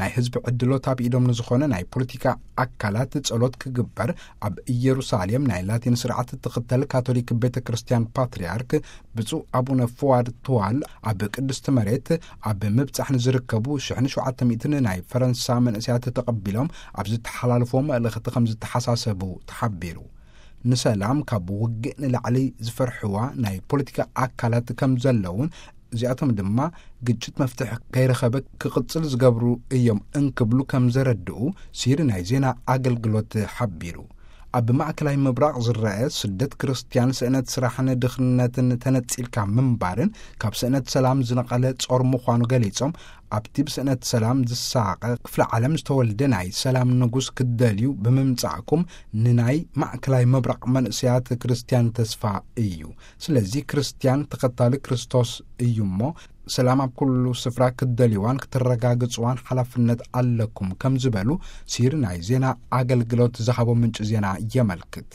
ናይ ህዝቢ ዕድሎት ኣብ ኢዶም ንዝኾነ ናይ ፖለቲካ ኣካላት ጸሎት ክግበር ኣብ ኢየሩሳሌም ናይ ላቲን ስርዓት እትኽተል ካቶሊክ ቤተ ክርስቲያን ፓትርያርክ ብፁዕ ኣቡነ ፍዋድ ትዋል ኣብ ቅድስቲ መሬት ኣብ ምብጻሕ ንዝርከቡ ሽሕን ሸውዓተ ሚእትን ናይ ፈረንሳ መንእሰያት ተቐቢሎም ኣብ ዝተሓላለፍዎ መልእኽቲ ከም ዝተሓሳሰቡ ተሓቢሩ። ንሰላም ካብ ውግእ ንላዕሊ ዝፈርሕዋ ናይ ፖለቲካ ኣካላት ከም ዘለውን እዚኣቶም ድማ ግጭት መፍትሒ ከይረኸበ ክቕጽል ዝገብሩ እዮም እንክብሉ ከም ዘረድኡ ሲሪ ናይ ዜና ኣገልግሎት ሓቢሩ። ኣብ ማእከላይ ምብራቕ ዝረአ ስደት ክርስትያን ስእነት ስራሕን ድኽነትን ተነጺልካ ምንባርን ካብ ስእነት ሰላም ዝነቐለ ጾር ምዃኑ ገሊጾም ኣብቲ ብስእነት ሰላም ዝሳቐ ክፍለ ዓለም ዝተወልደ ናይ ሰላም ንጉስ ክትደልዩ ብምምጻእኩም ንናይ ማእከላይ ምብራቕ መንእሰያት ክርስትያን ተስፋ እዩ። ስለዚ ክርስትያን ተኸታሊ ክርስቶስ እዩ እሞ ሰላም ኣብ ኩሉ ስፍራ ክትደልይዋን ክትረጋግጽዋን ሓላፍነት ኣለኩም ከም ዝበሉ ሲሪ ናይ ዜና ኣገልግሎት ዝሃቦ ምንጪ ዜና የመልክት።